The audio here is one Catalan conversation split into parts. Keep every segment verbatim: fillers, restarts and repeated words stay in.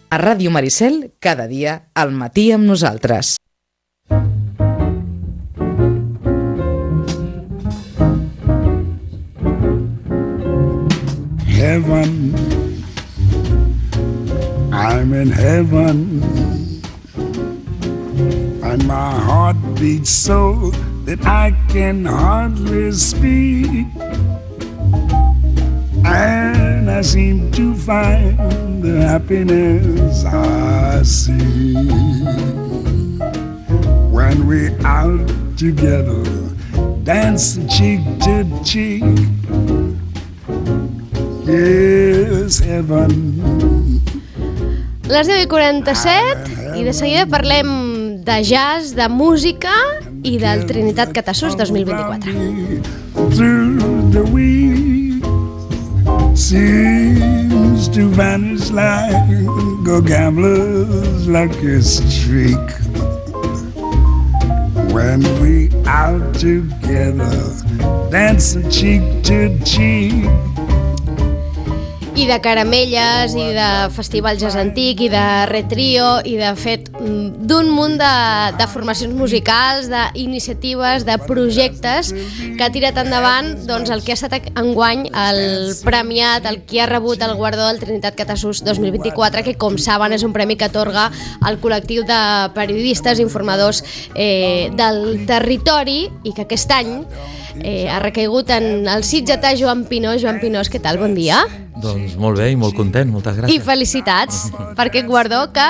A Ràdio Maricel, cada dia, al matí amb nosaltres. Heaven, I'm in heaven, and my heart beats so that I can hardly speak, and I seem to find the happiness I see when we're out together, dancing cheek to cheek. Yes, heaven. Les deu i quaranta-set i de seguida parlem de jazz, de música i del Trinitat Catasús dos mil vint-i-quatre. Through the week seems to vanish like a gambler's lucky streak. When we out together, dancing cheek to cheek. I de caramelles, i de festival jazz antic, i de retrio, i de fet d'un munt de, de formacions musicals, d'iniciatives, de projectes que ha tirat endavant doncs, el que ha estat enguany el premiat, el qui ha rebut el guardó del Trinitat Catasús dos mil vint-i-quatre, que com saben és un premi que atorga al col·lectiu de periodistes i informadors eh, del territori i que aquest any eh, ha recaigut en el sitgetà Joan Pinós. Joan Pinós, què tal? Bon dia. Doncs molt bé i molt content, moltes gràcies. I felicitats per aquest guardó que,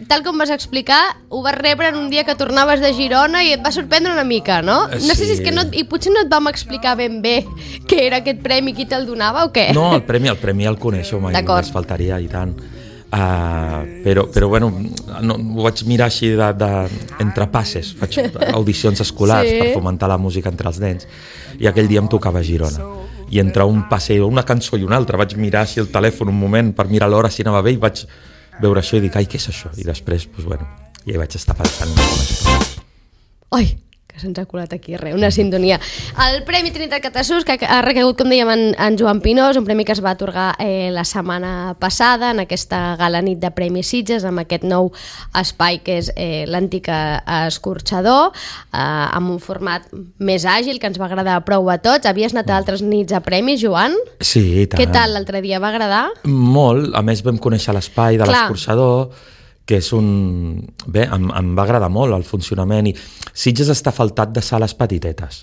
tal com vas explicar, ho vas rebre en un dia que tornaves de Girona i et va sorprendre una mica, no? Sí. No sé si és que no, i potser no et vam explicar ben bé què era aquest premi, qui te'l donava o què? No, el premi el premi el coneixo, mai només faltaria i tant. Uh, però, però bueno, no, ho vaig mirar així de, de, entre passes, faig audicions escolars sí. per fomentar la música entre els nens, i aquell dia em tocava a Girona. I entre un passe, una cançó i una altra vaig mirar així el telèfon un moment per mirar l'hora si anava bé i vaig veure això i dic, ai, què és això? I després, doncs bueno, ja hi vaig estar pensant. Ai, que se'ns ha colat aquí, res, una sintonia. El Premi Trinitat Catasús, que ha recaigut, com dèiem, en, en Joan Pinós, un premi que es va atorgar eh, la setmana passada en aquesta gala nit de Premis Sitges, amb aquest nou espai que és eh, l'antic escorxador, eh, amb un format més àgil, que ens va agradar prou a tots. Havies anat a altres nits a premis, Joan? Sí, i tant. Què tal l'altre dia? Va agradar? Molt, a més vam conèixer l'espai de l'escorxador, que és un... Bé, em, em va agradar molt el funcionament i Sitges està faltat de sales petitetes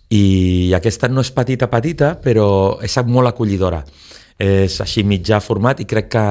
i aquesta no és petita petita però és molt acollidora, és així mitjà format i crec que,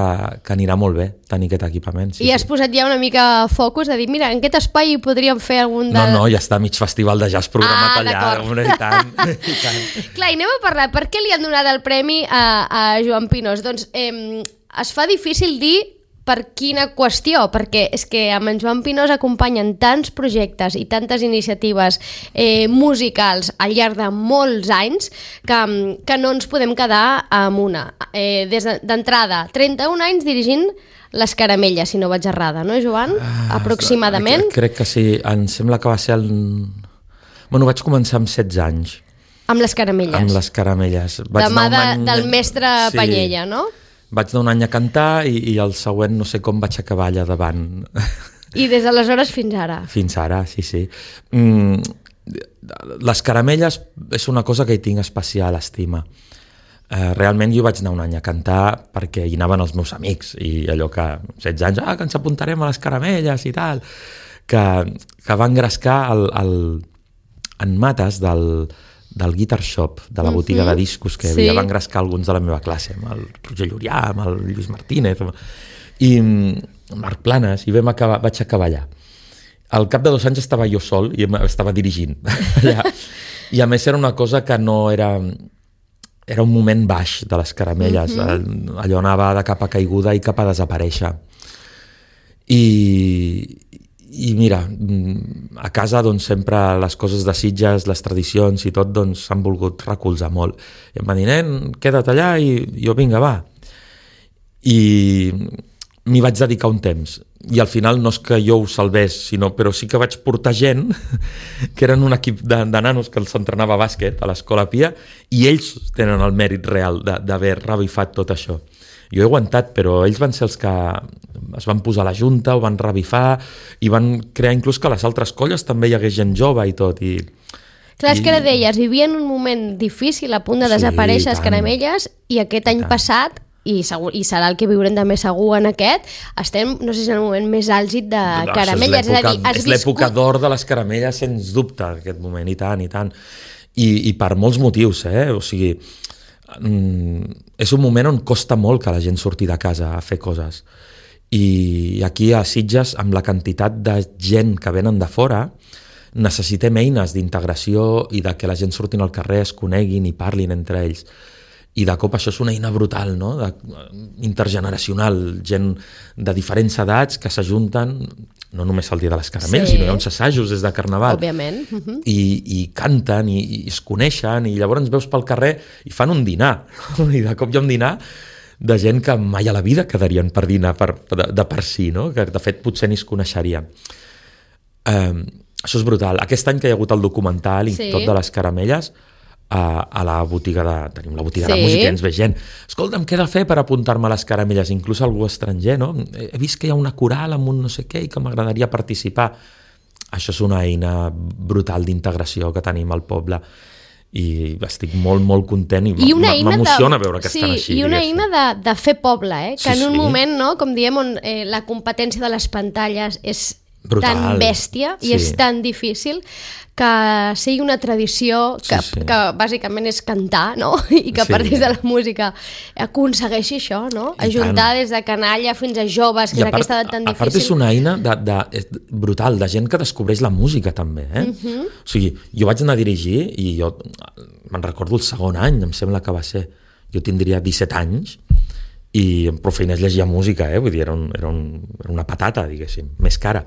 que anirà molt bé tenir aquest equipament. Sí, I has sí. posat ja una mica focus de dir, mira, en aquest espai podríem fer algun de... No, no, ja està mig festival de jazz programat ah, allà. Una, i tant, i tant. Clar, i anem a parlar, per què li han donat el premi a, a Joan Pinós? Doncs eh, es fa difícil dir per quina qüestió, perquè és que amb en Joan Pinós acompanyen tants projectes i tantes iniciatives eh, musicals al llarg de molts anys que, que no ens podem quedar amb una. Eh, des d'entrada, trenta-un anys dirigint les Caramelles, si no vaig errada, no, Joan? Ah, aproximadament. Crec que sí, em sembla que va ser el... Bueno, vaig començar amb setze anys. Amb les Caramelles. Amb les Caramelles. Vaig de mà de, any... del mestre sí. Panyella, no? Vaig anar un any a cantar i, i el següent no sé com vaig acabar allà davant. I des d'aleshores fins ara? Fins ara, sí, sí. Mm, les Caramelles és una cosa que hi tinc especial estima. Uh, realment jo vaig anar un any a cantar perquè hi anaven els meus amics i allò que setze anys, ah, que ens apuntarem a les Caramelles i tal, que, que va engrescar el, el, en mates del... del Guitar Shop, de la botiga uh-huh. de discos que sí. havia va engrescar alguns de la meva classe, amb el Roger Llurià, amb el Lluís Martínez i Marc Planes, i vam acabar, vaig acabar allà. Al cap de dos anys estava jo sol i estava dirigint allà. I a més era una cosa que no era... Era un moment baix de les Caramelles, uh-huh. allò anava de capa caiguda i cap a desaparèixer. I... I mira, a casa doncs, sempre les coses de Sitges, les tradicions i tot doncs, s'han volgut recolzar molt. I em va dir, nen, queda't allà i jo vinga, va. I m'hi vaig dedicar un temps. I al final no és que jo ho salvés, sinó, però sí que vaig portar gent que eren un equip de, de nanos que s'entrenava a bàsquet a l'Escola Pia i ells tenen el mèrit real d'haver revifat tot això. Jo he aguantat, però ells van ser els que es van posar a la junta, ho van revifar i van crear inclús que a les altres colles també hi hagués gent jove i tot. I, Clar, és i... que ara deies, vivien un moment difícil, a punt de Sí, desaparèixer les tant. caramelles, i aquest any tant. passat, i, segur, i serà el que viurem també segur en aquest, estem, no sé si en el moment més àlgid de No, caramelles. és, És a dir, has és l'època viscut... d'or de les caramelles, sens dubte, aquest moment, i tant, i tant. I, i per molts motius, eh? O sigui, mm, és un moment on costa molt que la gent surti de casa a fer coses. I aquí a Sitges, amb la quantitat de gent que venen de fora, necessitem eines d'integració i de que la gent surtin al carrer, es coneguin i parlin entre ells. I de cop això és una eina brutal, no? De, intergeneracional, gent de diferents edats que s'ajunten, no només el dia de les caramelles, Sí. sinó hi ha uns assajos des de Carnaval. Òbviament. Uh -huh. I, i canten i, i es coneixen i llavors ens veus pel carrer i fan un dinar. I de cop hi ha un dinar de gent que mai a la vida quedarien per dinar per, de, de per si, no? Que de fet potser ni es coneixerien. Um, això és brutal. Aquest any que hi ha hagut el documental i Sí. tot de les caramelles, a, a la botiga de... Tenim la botiga Sí. de música i ens ve gent. Escolta'm, què he de fer per apuntar-me a les caramelles? Inclús algú estranger, no? He vist que hi ha una coral amb un no sé què i que m'agradaria participar. Això és una eina brutal d'integració que tenim al poble i estic molt, molt content i, I una eina m'emociona de... veure que sí, estan així. I una diguéssim. eina de, de fer poble, eh? que Sí, en un sí. moment, no, com diem, on eh, la competència de les pantalles és Brutal. tan bèstia i Sí. és tan difícil que sigui una tradició que, Sí, sí. que bàsicament és cantar, no? I que a Sí. partir de la música aconsegueixi això, no? I Ajuntar tant. des de canalla fins a joves, que I és a part, aquesta edat tan a part és difícil. una eina de, de, és brutal, de gent que descobreix la música també, eh? Mhm. Uh-huh. O sigui, jo vaig anar a dirigir i jo me'n recordo el segon any, em sembla que va ser, jo tindria disset anys i amb prou feines llegia música, eh? Vull dir, era, un, era, un, era una patata, diguéssim, més cara.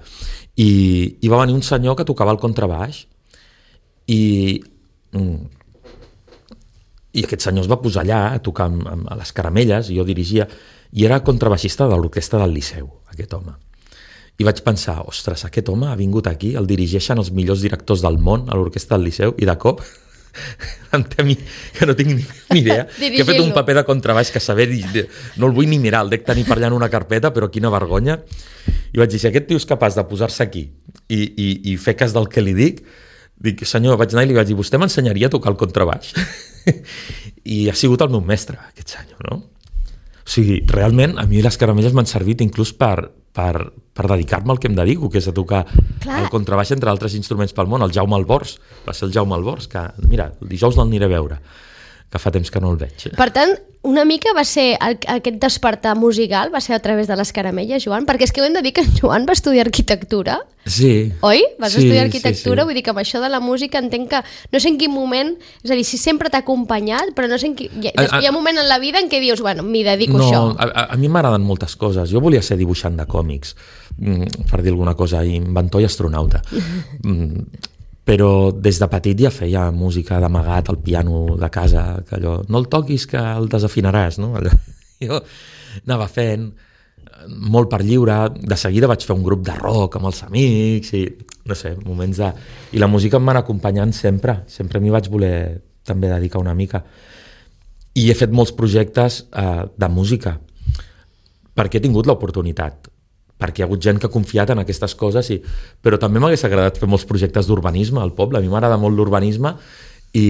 I, i va venir un senyor que tocava el contrabaix i mm, i aquest senyor es va posar allà a tocar amb, amb, a les caramelles i jo dirigia i era contrabaixista de l'orquestra del Liceu, aquest home. I vaig pensar, ostres, aquest home ha vingut aquí, el dirigeixen els millors directors del món a l'orquestra del Liceu i de cop ante a mi, que no tinc ni, ni idea, que he fet un paper de contrabaix que saber, no el vull ni mirar, el dec tenir per allà en una carpeta, però quina vergonya. I vaig dir, si aquest tio és capaç de posar-se aquí i, i, i fer cas del que li dic, dic, senyor, vaig anar i li vaig dir, vostè m'ensenyaria a tocar el contrabaix? I ha sigut el meu mestre, aquest senyor, no? O sigui, realment, a mi les caramelles m'han servit inclús per, per, per dedicar-me al que em dedico, que és a tocar Clar. el contrabaix entre altres instruments pel món. El Jaume Albors, va ser el Jaume Albors, que, mira, el dijous l'aniré a veure, que fa temps que no el veig. Per tant, una mica va ser el, aquest despertar musical, va ser a través de les caramelles, Joan, perquè és que ho hem de dir que en Joan va estudiar arquitectura, Sí. oi? Vas Sí, estudiar arquitectura, sí, sí. vull dir que amb això de la música entenc que no sé en quin moment, és a dir, si sempre t'ha acompanyat, però no sé en quin... Hi ha, A- a- hi ha un moment en la vida en què dius, bueno, m'hi dedico No, a això. a, a, a mi m'agraden moltes coses. Jo volia ser dibuixant de còmics, mm, per dir alguna cosa, inventor i astronauta. Mm, però des de petit ja feia música d'amagat al piano de casa, que allò, no el toquis que el desafinaràs, no? Allò, jo anava fent molt per lliure, de seguida vaig fer un grup de rock amb els amics i no sé, moments de... I la música em va anar acompanyant sempre, sempre m'hi vaig voler també dedicar una mica. I he fet molts projectes eh, de música perquè he tingut l'oportunitat, perquè hi ha hagut gent que ha confiat en aquestes coses, i... però també m'hagués agradat fer molts projectes d'urbanisme al poble. A mi m'agrada molt l'urbanisme i,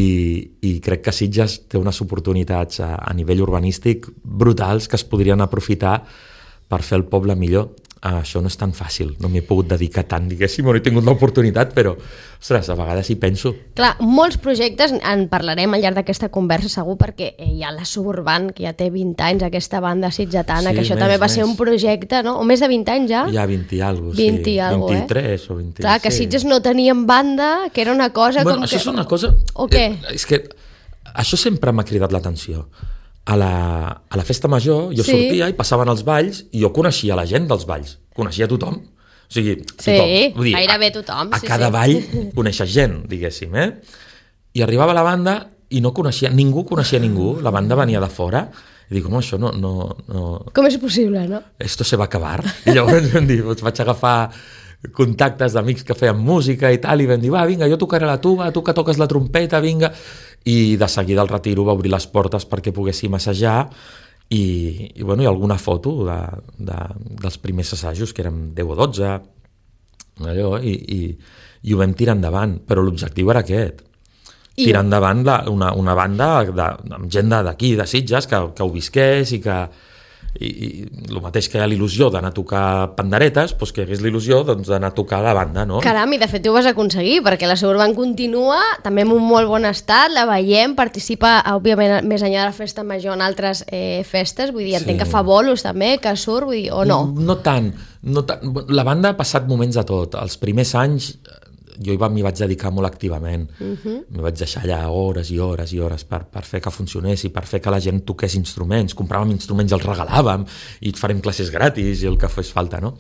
i crec que Sitges té unes oportunitats a, a nivell urbanístic brutals que es podrien aprofitar per fer el poble millor. Ah, això no és tan fàcil, no m'hi he pogut dedicar tant, diguéssim, no he tingut l'oportunitat, però, ostres, a vegades hi penso. Clar, molts projectes, en parlarem al llarg d'aquesta conversa segur, perquè hi ha la Suburban, que ja té vint anys, aquesta banda sitgetana, Sí, que això més, també va més. ser un projecte, no? O més de vint anys ja? Hi ha vint i alguna cosa, vint sí. i alguna cosa, vint-i-tres o vint. Clar, que sí. Sitges no tenien banda, que era una cosa Bueno, com això que... és una cosa... O què? Eh, és que això sempre m'ha cridat l'atenció. A la, a la festa major jo Sí. sortia i passaven els balls i jo coneixia la gent dels balls, coneixia tothom. O sigui, Sí, tothom. Vull dir, gairebé a, tothom, A sí, cada sí. ball coneixes gent, diguéssim, eh? I arribava la banda i no coneixia, ningú coneixia ningú, la banda venia de fora, i dic, home, això no, no, no... Com és possible, no? Esto se va acabar. I llavors vam dir, doncs vaig agafar contactes d'amics que feien música i tal, i vam dir, va, vinga, jo tocaré la tuba, tu que toques la trompeta, vinga. I de seguida el Retiro va obrir les portes perquè poguéssim assajar I, i, bueno, hi ha alguna foto de, de, dels primers assajos, que érem deu o dotze, allò, i, i, i ho vam tirar endavant, però l'objectiu era aquest, I... tirar endavant la, una, una banda de, amb gent d'aquí, de Sitges, que, que ho visqués i que... I, i el mateix que hi ha l'il·lusió d'anar a tocar panderetes, doncs que hi hagués l'il·lusió doncs, d'anar a tocar la banda, no? Caram, i de fet ho vas aconseguir, perquè la Suburban continua, també en un molt bon estat, la veiem, participa, òbviament, més enllà de la festa major en altres eh, festes, vull dir, entenc sí. que fa bolos també, que surt, vull dir, o no? No, no tant, no tant. La banda ha passat moments de tot. Els primers anys jo m'hi vaig dedicar molt activament. Uh-huh. M'hi vaig deixar allà hores i hores i hores per, per fer que funcionés i per fer que la gent toqués instruments. Compràvem instruments i els regalàvem i et farem classes gratis i el que fes falta, no?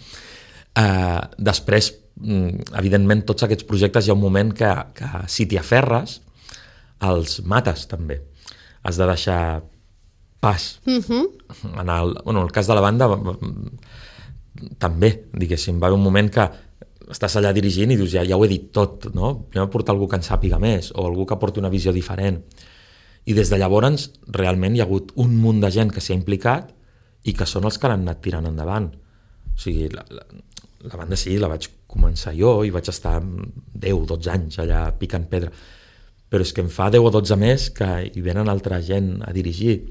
Uh, després, evidentment, tots aquests projectes hi ha un moment que, que si t'hi aferres, els mates també. Has de deixar pas. Uh-huh. En el, bueno, en el cas de la banda, també, diguéssim, va haver un moment que estàs allà dirigint i dius, ja, ja ho he dit tot, no? Anem a portar algú que en sàpiga més o algú que porti una visió diferent. I des de llavors, realment, hi ha hagut un munt de gent que s'hi ha implicat i que són els que l'han anat tirant endavant. O sigui, la, la, la banda sí, la vaig començar jo i vaig estar deu o dotze anys allà picant pedra. Però és que em fa deu o dotze més que hi venen altra gent a dirigir.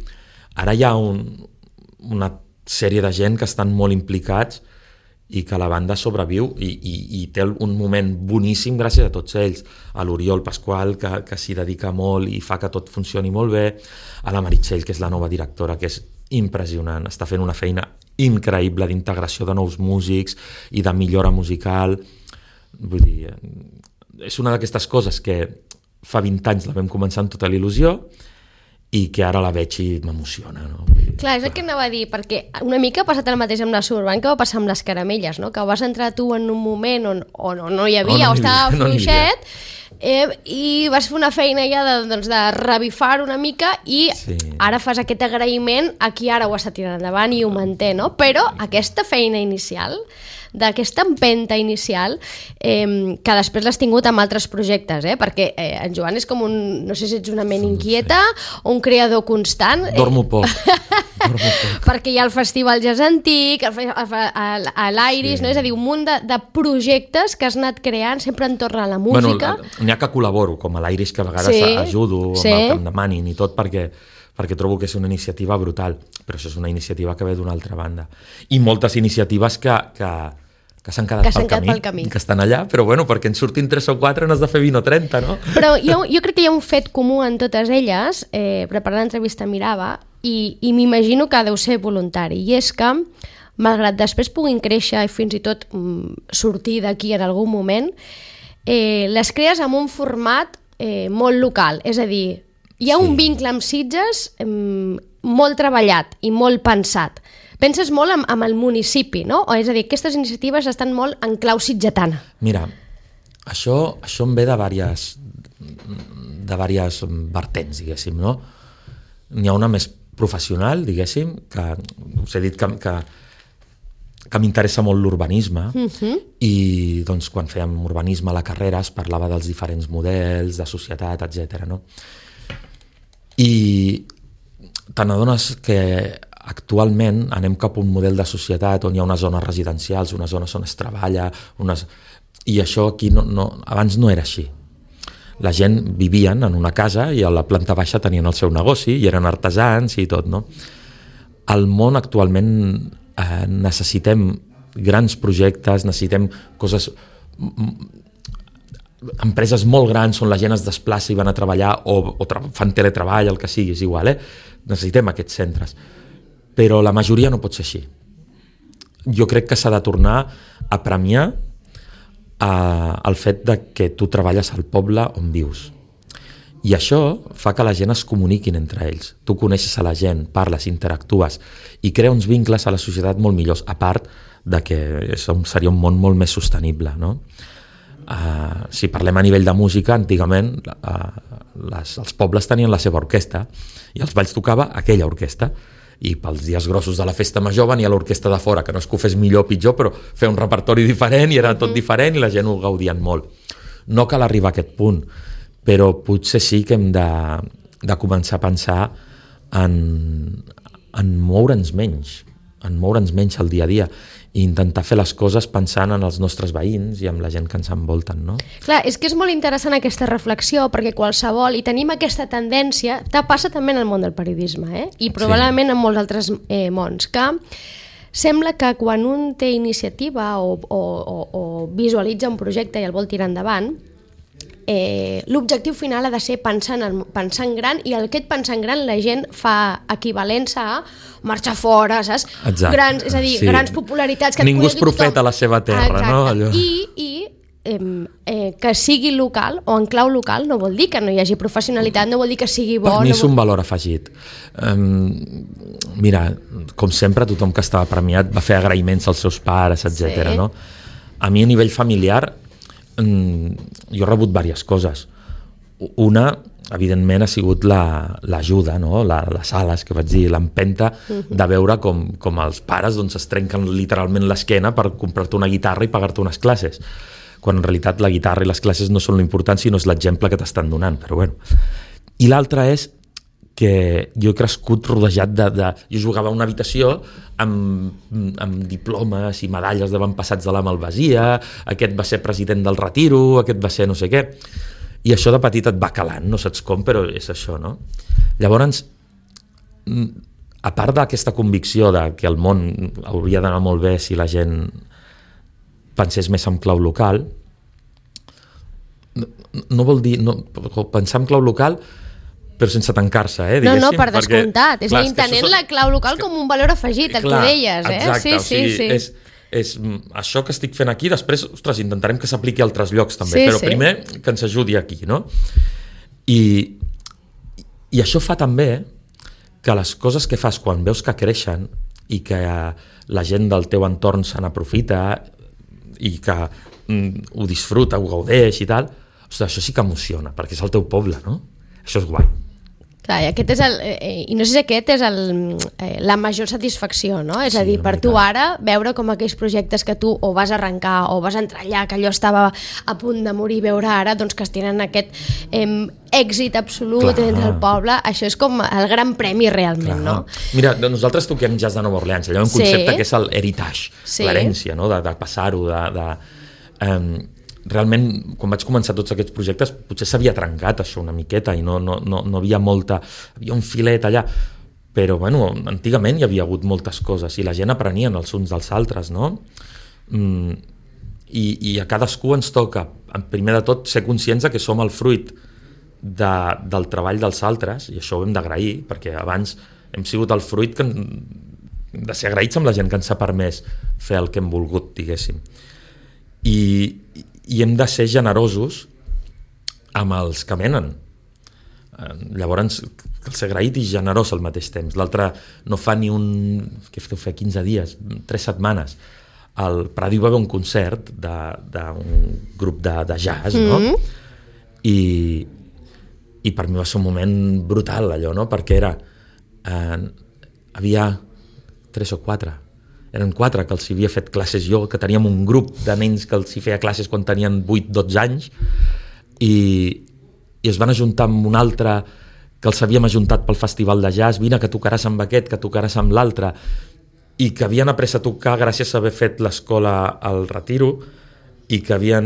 Ara hi ha un, una sèrie de gent que estan molt implicats i que la banda sobreviu i, i, i té un moment boníssim gràcies a tots ells, a l'Oriol Pasqual que, que s'hi dedica molt i fa que tot funcioni molt bé, a la Meritxell que és la nova directora, que és impressionant, està fent una feina increïble d'integració de nous músics i de millora musical. Vull dir, és una d'aquestes coses que fa vint anys la vam començar amb tota l'il·lusió i que ara la veig i m'emociona, no? Clar, és el que anava a dir, perquè una mica ha passat el mateix amb la Suburban que va passar amb les caramelles, no? Que vas entrar tu en un moment on, on, on no hi havia, o, no o estava havia, fluixet, no eh, i vas fer una feina ja de, doncs, de revifar una mica i sí. Ara fas aquest agraïment a qui ara ho està tirant endavant i ho manté, no? Però aquesta feina inicial, d'aquesta empenta inicial, eh, que després l'has tingut amb altres projectes, eh? Perquè eh, en Joan és com un, no sé si ets una ment inquieta o un creador constant. Dormo poc. Dormo poc. Perquè hi ha el Festival Jazz Antic, l'Iris, sí. No? És a dir, un munt de, de projectes que has anat creant sempre entorn a la música. Bueno, n'hi ha que col·laboro, com a l'Iris, que a vegades sí. ajudo amb sí. el que em demanin i tot, perquè perquè trobo que és una iniciativa brutal, però això és una iniciativa que ve d'una altra banda. I moltes iniciatives que, que, que s'han quedat, que pel, camí, pel camí, que estan allà, però bueno, perquè en surtin tres o quatre n'has de fer vint o trenta, no? Però jo, jo crec que hi ha un fet comú en totes elles, eh, preparant l'entrevista mirava, i, i m'imagino que deu ser voluntari, i és que, malgrat després puguin créixer i fins i tot mm, sortir d'aquí en algun moment, eh, les crees amb un format eh, molt local, és a dir, hi ha sí. un vincle amb Sitges eh, molt treballat i molt pensat. Penses molt amb, amb el municipi, no? O és a dir, aquestes iniciatives estan molt en clau sitgetana. Mira, això, això em ve de diverses, de diverses vertents, diguéssim, no? N'hi ha una més professional, diguéssim, que us he dit que, que, que m'interessa molt l'urbanisme, uh-huh. i doncs, quan fèiem urbanisme a la carrera es parlava dels diferents models de societat, etcètera, no? I te n'adones que actualment anem cap a un model de societat on hi ha unes zones residencials, unes zones on es treballa, unes... i això aquí no, no, abans no era així. La gent vivien en una casa i a la planta baixa tenien el seu negoci i eren artesans i tot, no? Al món actualment eh, necessitem grans projectes, necessitem coses... empreses molt grans on la gent es desplaça i van a treballar o, o tra- fan teletreball, el que sigui, és igual, eh? Necessitem aquests centres. Però la majoria no pot ser així. Jo crec que s'ha de tornar a premiar eh, el fet de que tu treballes al poble on vius. I això fa que la gent es comuniquin entre ells. Tu coneixes a la gent, parles, interactues i crea uns vincles a la societat molt millors, a part de que seria un món molt més sostenible, no? Uh, si parlem a nivell de música, antigament uh, les, els pobles tenien la seva orquestra i els balls tocava aquella orquestra i pels dies grossos de la festa major venia l'orquestra de fora, que no és que ho fes millor o pitjor, però feia un repertori diferent i era tot diferent i la gent ho gaudien molt. No cal arribar a aquest punt, però potser sí que hem de, de començar a pensar en, en moure'ns menys, en moure'ns menys el dia a dia i intentar fer les coses pensant en els nostres veïns i en la gent que ens envolten, no? Clar, és que és molt interessant aquesta reflexió, perquè qualsevol, i tenim aquesta tendència, te passa també en el món del periodisme, eh? I probablement sí. en molts altres eh, mons, que sembla que quan un té iniciativa o, o, o, o visualitza un projecte i el vol tirar endavant, Eh, l'objectiu final ha de ser pensar en, pensar en gran, i el que et pensar en gran la gent fa equivalència a marxar fora, saps? Grans, és a dir, sí. grans popularitats que ningú és profeta a la seva terra. Exacte. No? Allò. I, i eh, eh, que sigui local o en clau local no vol dir que no hi hagi professionalitat, no vol dir que sigui bo. Per mi no és vol... un valor afegit. Um, mira, com sempre, tothom que estava premiat va fer agraïments als seus pares, etcètera. Sí. No? A mi a nivell familiar jo he rebut diverses coses. Una, evidentment, ha sigut l'ajuda, no? la, les ales, que vaig dir, l'empenta de veure com, com els pares doncs, es trenquen literalment l'esquena per comprar-te una guitarra i pagar-te unes classes, quan en realitat la guitarra i les classes no són l'important, sinó és l'exemple que t'estan donant. Però bueno. I l'altra és que jo he crescut rodejat de... de jo jugava a una habitació amb, amb diplomes i medalles d'avantpassats de la malvasia, aquest va ser president del retiro, aquest va ser no sé què, i això de petit et va calant, no saps com, però és això, no? Llavors, a part d'aquesta convicció de que el món hauria d'anar molt bé si la gent pensés més en clau local, no, no vol dir... No, pensar en clau local però sense tancar-se, eh, diguéssim. No, no, per descomptat. Perquè, és a dir, entenent la clau local com un valor afegit, el clar, que deies, eh? Exacte, sí, o sigui, sí, sí. És, és això que estic fent aquí, després, ostres, intentarem que s'apliqui a altres llocs també, sí, però sí. primer que ens ajudi aquí, no? I, i això fa també que les coses que fas quan veus que creixen i que la gent del teu entorn se n'aprofita i que mm, ho disfruta, ho gaudeix i tal, ostres, això sí que emociona, perquè és el teu poble, no? Això és guai. Clar, i aquest és el, eh, i no sé si aquest és el, eh, la major satisfacció, no? És sí, a dir, per tu ara, veure com aquells projectes que tu o vas arrencar o vas entrar allà, que allò estava a punt de morir, veure ara doncs, que es tenen aquest eh, èxit absolut Clar. Entre el poble, això és com el gran premi realment, Clar. No? Mira, nosaltres toquem jazz de Nova Orleans, allò un concepte sí. que és l'heritage, sí. l'herència, no? de, de passar-ho, de... de um, realment, quan vaig començar tots aquests projectes, potser s'havia trencat això una miqueta i no, no, no, no havia molta... Havia un filet allà, però bueno, antigament hi havia hagut moltes coses i la gent aprenien els uns dels altres, no? Mm, i, I a cadascú ens toca, primer de tot, ser conscients que som el fruit de, del treball dels altres, i això ho hem d'agrair, perquè abans hem sigut el fruit que, de ser agraïts amb la gent que ens ha permès fer el que hem volgut, diguéssim. I, i hem de ser generosos amb els que venen. Llavors, cal ser agraït i generós al mateix temps. L'altre no fa ni un... Què feu fer? quinze dies, tres setmanes. Al Pradi va haver un concert d'un grup de, de jazz, no? Mm-hmm. I, I per mi va ser un moment brutal, allò, no? Perquè era... Eh, havia tres o quatre... Eren quatre que els havia fet classes jo, que teníem un grup de nens que els hi feia classes quan tenien vuit dotze anys, i, i es van ajuntar amb un altre que els havíem ajuntat pel festival de jazz, vine que tocaràs amb aquest, que tocaràs amb l'altre, i que havien après a tocar gràcies a haver fet l'escola al Retiro, i que havien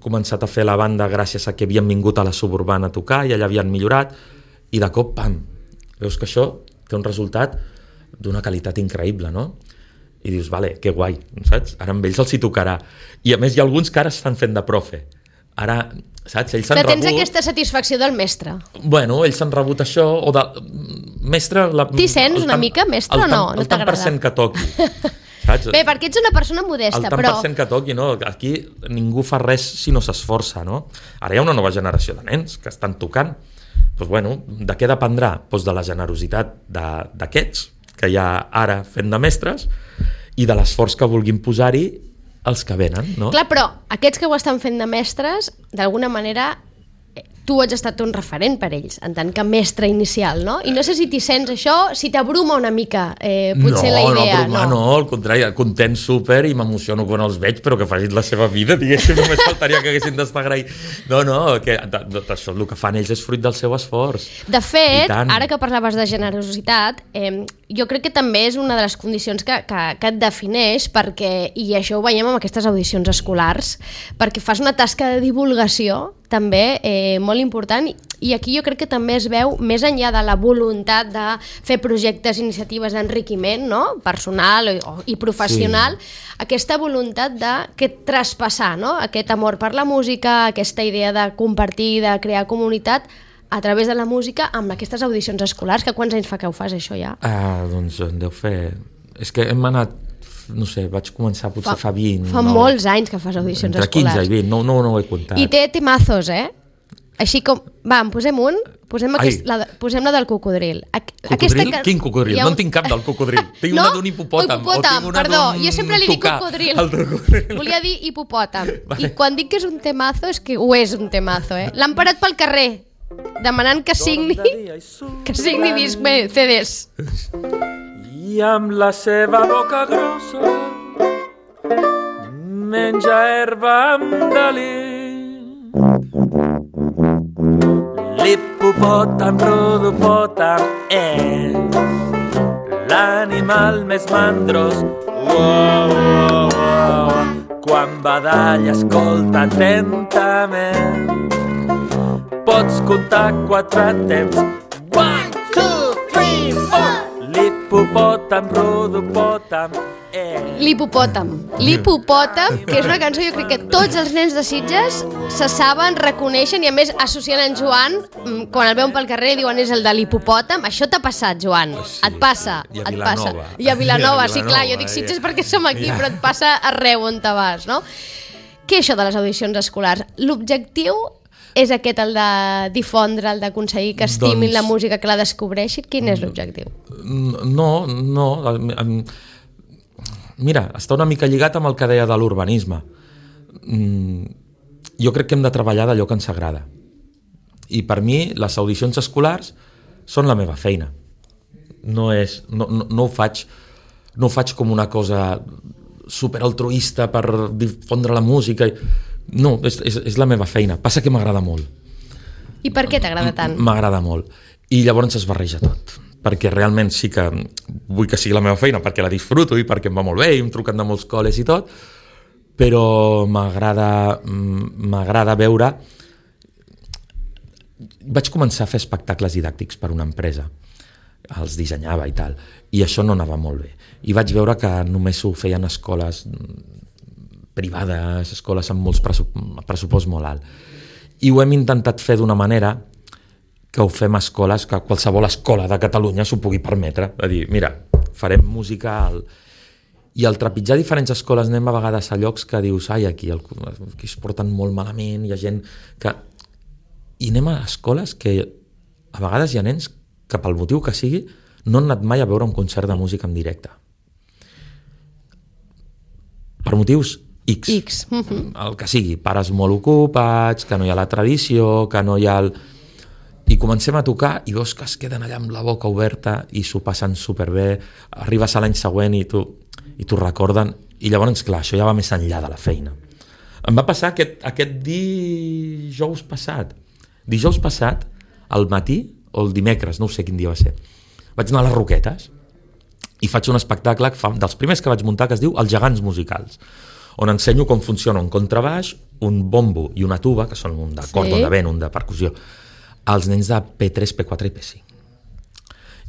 començat a fer la banda gràcies a que havien vingut a la suburbana a tocar, i allà havien millorat, i de cop, pam, veus que això té un resultat d'una qualitat increïble, no? I dius, vale, que guai, saps? Ara amb ells els hi tocarà. I a més hi ha alguns que ara estan fent de profe. Ara, saps? Ells s'han rebut... Però tens aquesta satisfacció del mestre. Bueno, ells s'han rebut això, o de... Mestre... La... T'hi sents una tant, mica mestre o no? El no tant per cent que toqui. Saps? Bé, perquè ets una persona modesta, el tant però... per cent que toqui, no? Aquí ningú fa res si no s'esforça, no? Ara hi ha una nova generació de nens que estan tocant. Doncs bueno, de què dependrà? Doncs de la generositat d'aquests, que hi ha ara fent de mestres, i de l'esforç que vulguin posar-hi els que venen, no? Clar, però aquests que ho estan fent de mestres, d'alguna manera, tu ets estat un referent per ells, en tant que mestre inicial, no? I no sé si t'hi sents això, si t'abruma una mica, eh, potser no, la idea. No, no, no, al contrari, content super i m'emociono quan els veig, però que facin la seva vida, diguéssim, només faltaria que haguessin d'estar agraït. No, no, que això el que fan ells és fruit del seu esforç. De fet, ara que parlaves de generositat, eh, jo crec que també és una de les condicions que, que, que et defineix, perquè, i això ho veiem amb aquestes audicions escolars, perquè fas una tasca de divulgació també eh, molt important, i aquí jo crec que també es veu, més enllà de la voluntat de fer projectes, iniciatives d'enriquiment, no? Personal i, i professional, sí. Aquesta voluntat de que traspassar, no? Aquest amor per la música, aquesta idea de compartir, de crear comunitat a través de la música amb aquestes audicions escolars. Que quants anys fa que ho fas, això ja? Ah, doncs en deu fer... És que hem anat, no sé, vaig començar potser fa, fa vint... Fa no? molts anys que fas audicions Entre escolars. Entre quinze i vint, no, no, no ho he comptat. I té temazos, eh? Així com... Va, en posem un, posem, aquest, la, posem la del cocodril. Cocodril? Aquesta... Quin cocodril? Un... No en tinc cap del cocodril. Tinc no? una d'un hipopòtam. Oh, hipopòtam, perdó. Jo sempre li dic cocodril. cocodril. Volia dir hipopòtam. Vale. I quan dic que és un temazo, és que ho és un temazo, eh? L'han parat pel carrer, demanant que signi, que signi disc, bé, C Ds. I amb la seva boca grossa menja herba amb delí. L'hipopòtam rodopòtam és l'animal més mandros. Uau, uau, uau. Quan badalla escolta atentament, pots comptar quatre temps. One, two, three, four. L'hipopòtam rodopòtam és... L'hipopòtam. L'hipopòtam, que és una cançó, jo crec que tots els nens de Sitges se saben, reconeixen, i a més associen en Joan, quan el veuen pel carrer i diuen és el de l'hipopòtam. Això t'ha passat, Joan? Oh, sí. Et passa? I a et Vilanova. Passa. I a Vilanova, sí, clar, jo dic ja. Sitges perquè som aquí, ja. Però et passa arreu on te vas, no? Què és això de les audicions escolars? L'objectiu és aquest, el de difondre, el d'aconseguir que estimin doncs... la música, que la descobreixin? Quin és l'objectiu? No, no... Mira, està una mica lligat amb el que deia de l'urbanisme. Jo crec que hem de treballar d'allò que ens agrada. I per mi, les audicions escolars són la meva feina. No és... No, no, no ho faig... No ho faig com una cosa superaltruista per difondre la música... No, és, és, és la meva feina. Passa que m'agrada molt. I per què t'agrada tant? M'agrada molt. I llavors es barreja tot. Perquè realment sí que vull que sigui la meva feina, perquè la disfruto i perquè em va molt bé, i em truquen de molts col·les i tot, però m'agrada m'agrada veure... Vaig començar a fer espectacles didàctics per una empresa. Els dissenyava i tal. I això no anava molt bé. I vaig veure que només ho feien escoles privades, escoles amb molts pressupost molt alt. I ho hem intentat fer d'una manera que ho fem a escoles, que qualsevol escola de Catalunya s'ho pugui permetre. A dir, mira, farem música al... I al trepitjar diferents escoles anem a vegades a llocs que dius, ai, aquí, el... aquí es porten molt malament, hi ha gent que... I anem a escoles que a vegades hi ha nens que pel motiu que sigui no han anat mai a veure un concert de música en directe. Per motius X. X. El que sigui, pares molt ocupats, que no hi ha la tradició, que no hi ha el... I comencem a tocar i veus que es queden allà amb la boca oberta i s'ho passen superbé, arribes a l'any següent i tu i t'ho recorden, i llavors, clar, això ja va més enllà de la feina. Em va passar aquest, aquest dijous passat. Dijous passat, al matí, o el dimecres, no sé quin dia va ser, vaig anar a les Roquetes i faig un espectacle que fa, dels primers que vaig muntar, que es diu Els gegants musicals, on ensenyo com funciona un contrabaix, un bombo i una tuba, que són un de cort, sí. Un de vent, un de percussió, als nens de P tres, P quatre i P cinc.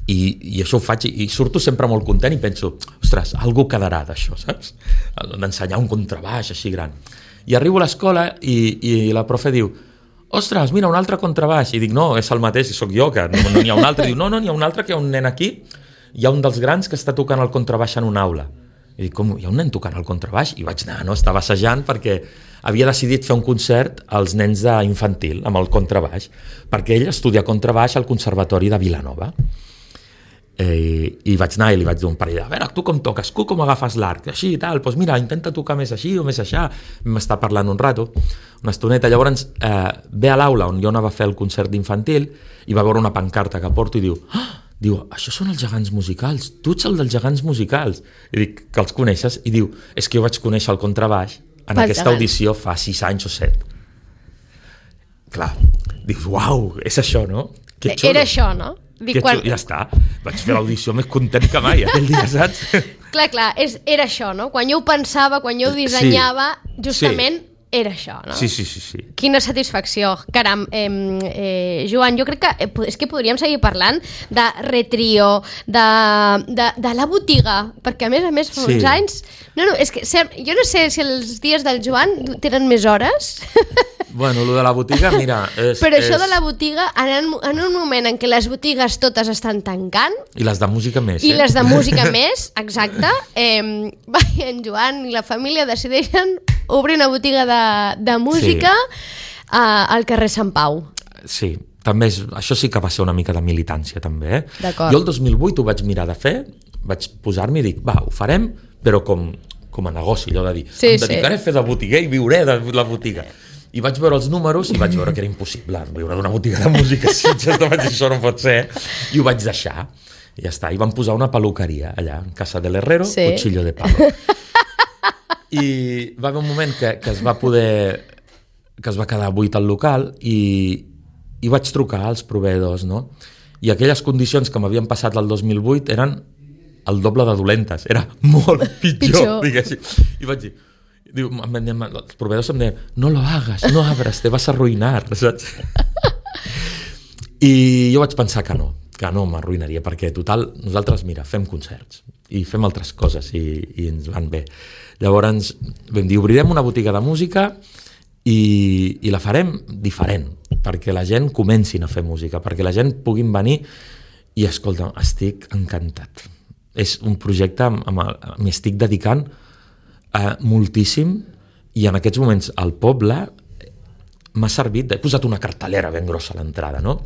I, i això ho faig, i, i surto sempre molt content i penso, ostres, algú quedarà d'això, saps? D'ensenyar un contrabaix així gran. I arribo a l'escola i, i la profe diu, ostres, mira, un altre contrabaix. I dic, no, és el mateix, i sóc jo, que no, no n'hi ha un altre. I diu, no, no, n'hi ha un altre, que hi ha un nen aquí, hi ha un dels grans que està tocant el contrabaix en una aula. I dic, com, hi ha un nen tocant el contrabaix? I vaig anar, no? Estava assajant perquè havia decidit fer un concert als nens d'infantil amb el contrabaix, perquè ell estudia contrabaix al Conservatori de Vilanova. Eh, I vaig anar i li vaig dir un parell, a veure, tu com toques, tu com agafes l'arc, així i tal, doncs mira, intenta tocar més així o més aixà. M'està parlant un rato, una estoneta. Llavors eh, ve a l'aula on jo anava a fer el concert d'infantil i va veure una pancarta que porto i diu, ah, diu, això són els gegants musicals, tu ets el dels gegants musicals. I dic, que els coneixes? I diu, és que jo vaig conèixer el contrabaix en Pels aquesta gegants. Audició fa sis anys o set. Clar, dius, uau, és això, no? Que era això, no? Dic, quan... Ja està. Vaig fer l'audició més content que mai aquell dia, saps? Clar, clar, és, era això, no? Quan jo ho pensava, quan jo ho dissenyava, sí. justament sí. era això, no? Sí, sí, sí, sí. Quina satisfacció. Caram, eh, eh, Joan, jo crec que eh, és que podríem seguir parlant de Retrio, de, de, de la botiga, perquè a més a més fa sí. uns anys... No, no, és que jo no sé si els dies del Joan tenen més hores... Bueno, lo de la botiga, mira... És, Però això és... de la botiga, en, en un moment en què les botigues totes estan tancant... I les de música més, I eh? les de música més, exacte. Eh, va, en Joan i la família decideixen obrir una botiga de, de música sí. a, al carrer Sant Pau. Sí, també és, això sí que va ser una mica de militància, també, eh? D'acord. Jo el dos mil vuit ho vaig mirar de fer, vaig posar-m'hi i dic, va, ho farem, però com, com a negoci, allò de dir, sí, em dedicaré sí. a fer de botiguer i viuré de la botiga. I vaig veure els números i vaig veure que era impossible viure d'una botiga de música, si ja vaig dir, això no pot ser, i ho vaig deixar. I ja està, i van posar una peluqueria allà, en Casa del Herrero, sí. Cuchillo de Palo. I va haver un moment que, que es va poder, que es va quedar buit al local i, i vaig trucar als proveïdors, no? I aquelles condicions que m'havien passat el dos mil vuit eren el doble de dolentes, era molt pitjor, pitjor. Diguéssim. I vaig dir, Diu, els proveïdors em deien, no lo hagas, no abres, te vas a arruinar, saps? I jo vaig pensar que no, que no m'arruïnaria, perquè total, nosaltres, mira, fem concerts i fem altres coses i, i ens van bé. Llavors vam dir, obrirem una botiga de música i, i la farem diferent, perquè la gent comencin a fer música, perquè la gent puguin venir i, escolta, estic encantat. És un projecte amb, amb, m'hi estic dedicant Uh, moltíssim, i en aquests moments al poble m'ha servit, he posat una cartelera ben grossa a l'entrada, no?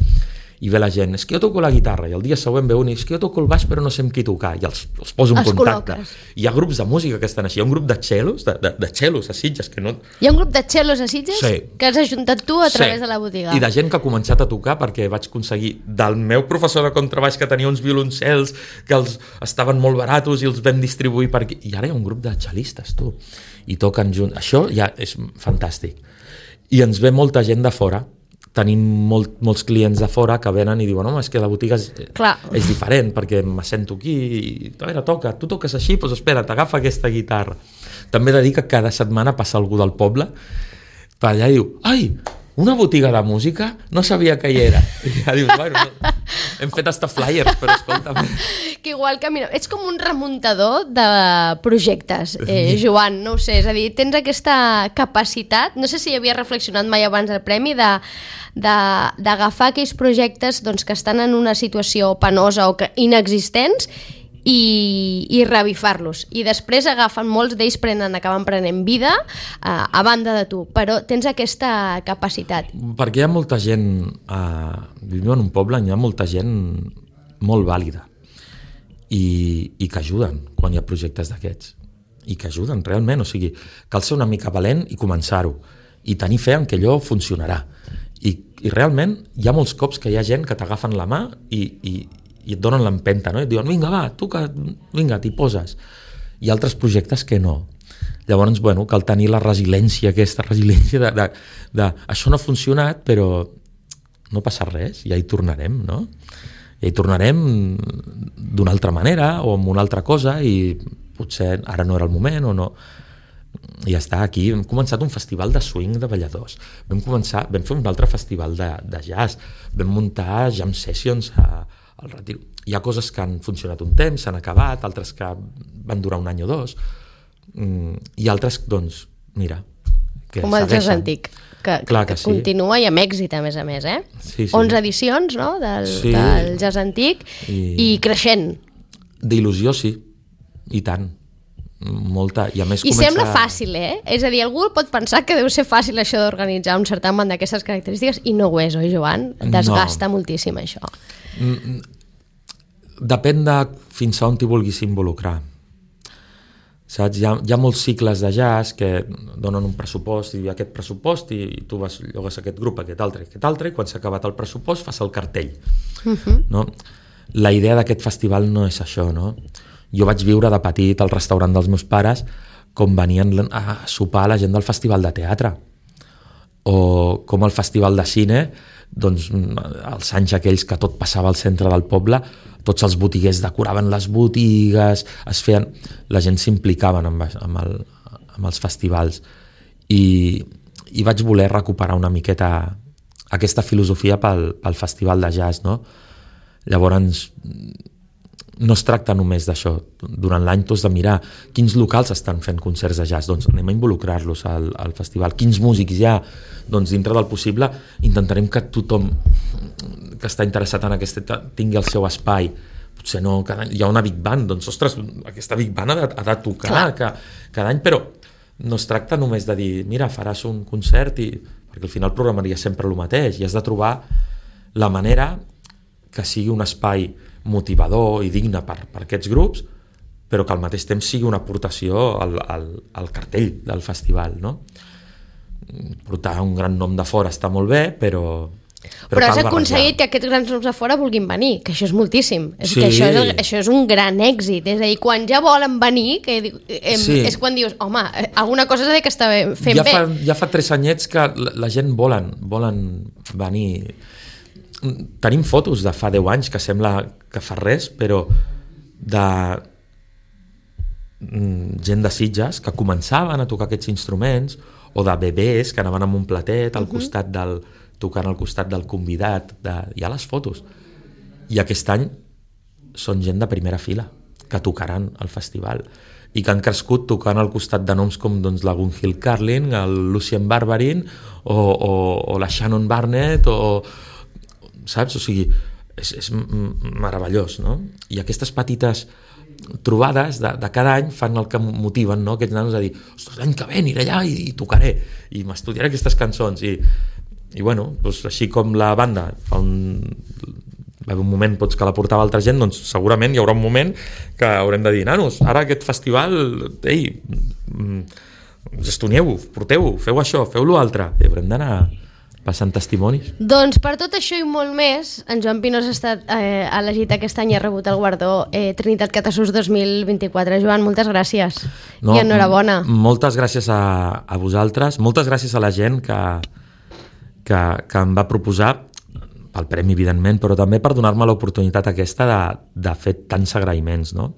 I ve la gent, és que jo toco la guitarra, i el dia següent ve un, és que jo toco el baix però no sé amb qui tocar, i els, els poso en contacte. Col·loques. Hi ha grups de música que estan així, hi ha un grup de cellos, de, de, de cellos a Sitges, que no... Hi ha un grup de cellos a Sitges? Sí. Que has ajuntat tu a través sí. de la botiga. I de gent que ha començat a tocar, perquè vaig aconseguir del meu professor de contrabaix que tenia uns violoncels que els estaven molt baratos i els vam distribuir per aquí, i ara hi ha un grup de cellistes, tu, i toquen junts, això ja és fantàstic. I ens ve molta gent de fora, tenim molt, molts clients de fora que venen i diuen, home, és que la botiga és, és diferent, perquè me sento aquí i, a veure, toca, tu toques així, doncs espera, t'agafa aquesta guitarra. També he de dir que cada setmana passa algú del poble per allà i diu, ai, una botiga de música? No sabia que hi era. I ja dius, bueno, no, hem fet hasta flyers, però escolta'm. Que igual que, mira, ets com un remuntador de projectes, eh, Joan, no ho sé, és a dir, tens aquesta capacitat, no sé si hi havia reflexionat mai abans del premi, de d'agafar aquells projectes doncs, que estan en una situació penosa o que inexistents i, i revifar-los. I després agafen, molts d'ells prenen, acaben prenent vida eh, a banda de tu, però tens aquesta capacitat. Perquè hi ha molta gent, eh, vivim en un poble, hi ha molta gent molt vàlida i, i que ajuden quan hi ha projectes d'aquests. I que ajuden realment, o sigui, cal ser una mica valent i començar-ho i tenir fe en que allò funcionarà. I, i realment hi ha molts cops que hi ha gent que t'agafen la mà i, i, i et donen l'empenta, no? I et diuen, vinga, va, tu que, vinga, t'hi poses. I altres projectes que no. Llavors, bueno, cal tenir la resiliència, aquesta resiliència de, de, de això no ha funcionat, però no passa res, ja hi tornarem, no? Ja hi tornarem d'una altra manera o amb una altra cosa i potser ara no era el moment o no. I ja està, aquí hem començat un festival de swing de balladors, vam començar, vam fer un altre festival de, de jazz, vam muntar jam sessions a, al Retiro. Hi ha coses que han funcionat un temps, s'han acabat, altres que van durar un any o dos, i altres, doncs, mira, que com el jazz antic, que, Clar que, que que continua sí. i amb èxit, a més a més, eh? Sí, sí. onze edicions, no?, del, sí. del jazz antic, i, i creixent. D'il·lusió, sí, i tant. Molta, i a més I comença... sembla fàcil, eh? És a dir, algú pot pensar que deu ser fàcil això d'organitzar un certamen d'aquestes característiques i no ho és, oi, Joan? Desgasta no. moltíssim això. Depèn de fins a on t'hi vulguis involucrar. Saps? Hi ha, hi ha molts cicles de jazz que donen un pressupost i aquest pressupost i, i tu vas, llogues aquest grup, aquest altre, aquest altre, i quan s'ha acabat el pressupost fas el cartell. Uh-huh. No? La idea d'aquest festival no és això, no? Jo vaig viure de petit al restaurant dels meus pares com venien a sopar la gent del festival de teatre o com el Festival de Cine, doncs els anys aquells que tot passava al centre del poble, tots els botiguers decoraven les botigues, es feien... la gent s'implicaven amb, amb, el, amb els festivals i, i vaig voler recuperar una miqueta aquesta filosofia pel, pel Festival de Jazz, no? Llavors no es tracta només d'això. Durant l'any tu has de mirar quins locals estan fent concerts de jazz, doncs anem a involucrar-los al, al festival. Quins músics hi ha? Doncs dintre del possible intentarem que tothom que està interessat en aquest tingui el seu espai. Potser no, cada any hi ha una big band, doncs ostres, aquesta big band ha de, ha de tocar cada, cada any, però no es tracta només de dir, mira, faràs un concert i... perquè al final programaria sempre el mateix i has de trobar la manera que sigui un espai motivador i digne per, per aquests grups, però que al mateix temps sigui una aportació al, al, al cartell del festival, no? Portar un gran nom de fora està molt bé, però... Però, però has aconseguit que aquests grans noms de fora vulguin venir, que això és moltíssim. És sí. que això és, això és un gran èxit. És a dir, quan ja volen venir, que eh, sí. és quan dius, home, alguna cosa és que està fent ja bé. Fa, ja fa tres anyets que la, la gent volen, volen venir... Tenim fotos de fa deu anys que sembla que fa res, però de gent de Sitges que començaven a tocar aquests instruments, o de bebès que anaven amb un platet al uh-huh. costat del, tocant al costat del convidat, de, hi ha les fotos. I aquest any són gent de primera fila que tocaran al festival i que han crescut tocant al costat de noms com doncs, la Gunhild Carlin, el Lucien Barbarin o, o, o la Shannon Barnett o saps? O sigui, és, és meravellós, no? I aquestes petites trobades de, de cada any fan el que motiven, no? Aquests nanos a dir, ostres, l'any que ve aniré allà i, i tocaré i m'estudiaré aquestes cançons i, i bueno, doncs així com la banda fa un, va haver un moment pots que la portava altra gent, doncs segurament hi haurà un moment que haurem de dir, nanos, ara aquest festival, ei, gestonieu-ho, porteu-ho, feu això, feu l'altre, i haurem d'anar passant testimonis. Doncs per tot això i molt més, en Joan Pinós ha estat eh, elegit aquest any i ha rebut el guardó eh, Trinitat Catasús dos mil vint-i-quatre. Joan, moltes gràcies no, i enhorabona. M- moltes gràcies a, a vosaltres, moltes gràcies a la gent que, que, que em va proposar el premi, evidentment, però també per donar-me l'oportunitat aquesta de, de fer tants agraïments, no?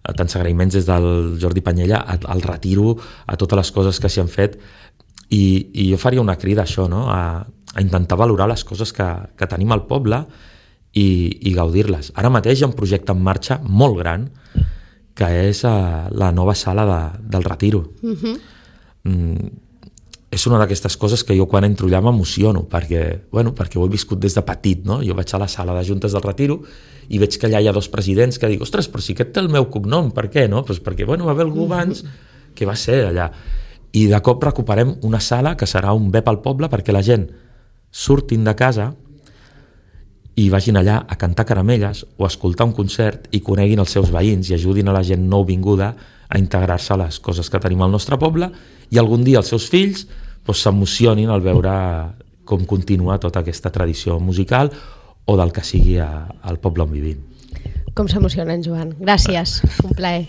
Tants agraïments des del Jordi Panyella al retiro, a totes les coses que s'hi han fet. I, i jo faria una crida a això, no? a, a intentar valorar les coses que, que tenim al poble i, i gaudir-les. Ara mateix hi ha un projecte en marxa molt gran que és uh, la nova sala de, del Retiro. Uh-huh. Mm, és una d'aquestes coses que jo quan entro allà m'emociono perquè, bueno, perquè ho he viscut des de petit, no? Jo vaig a la sala de juntes del Retiro i veig que allà hi ha dos presidents que dic, ostres, però si aquest té el meu cognom, per què? No? Pues perquè bueno, va haver algú abans que va ser allà. I de cop recuperem una sala que serà un B pel poble perquè la gent surtin de casa i vagin allà a cantar caramelles o a escoltar un concert i coneguin els seus veïns i ajudin a la gent nouvinguda a integrar-se a les coses que tenim al nostre poble i algun dia els seus fills doncs, s'emocionin al veure com continua tota aquesta tradició musical o del que sigui a, al poble on vivim. Com s'emociona en Joan. Gràcies, un plaer.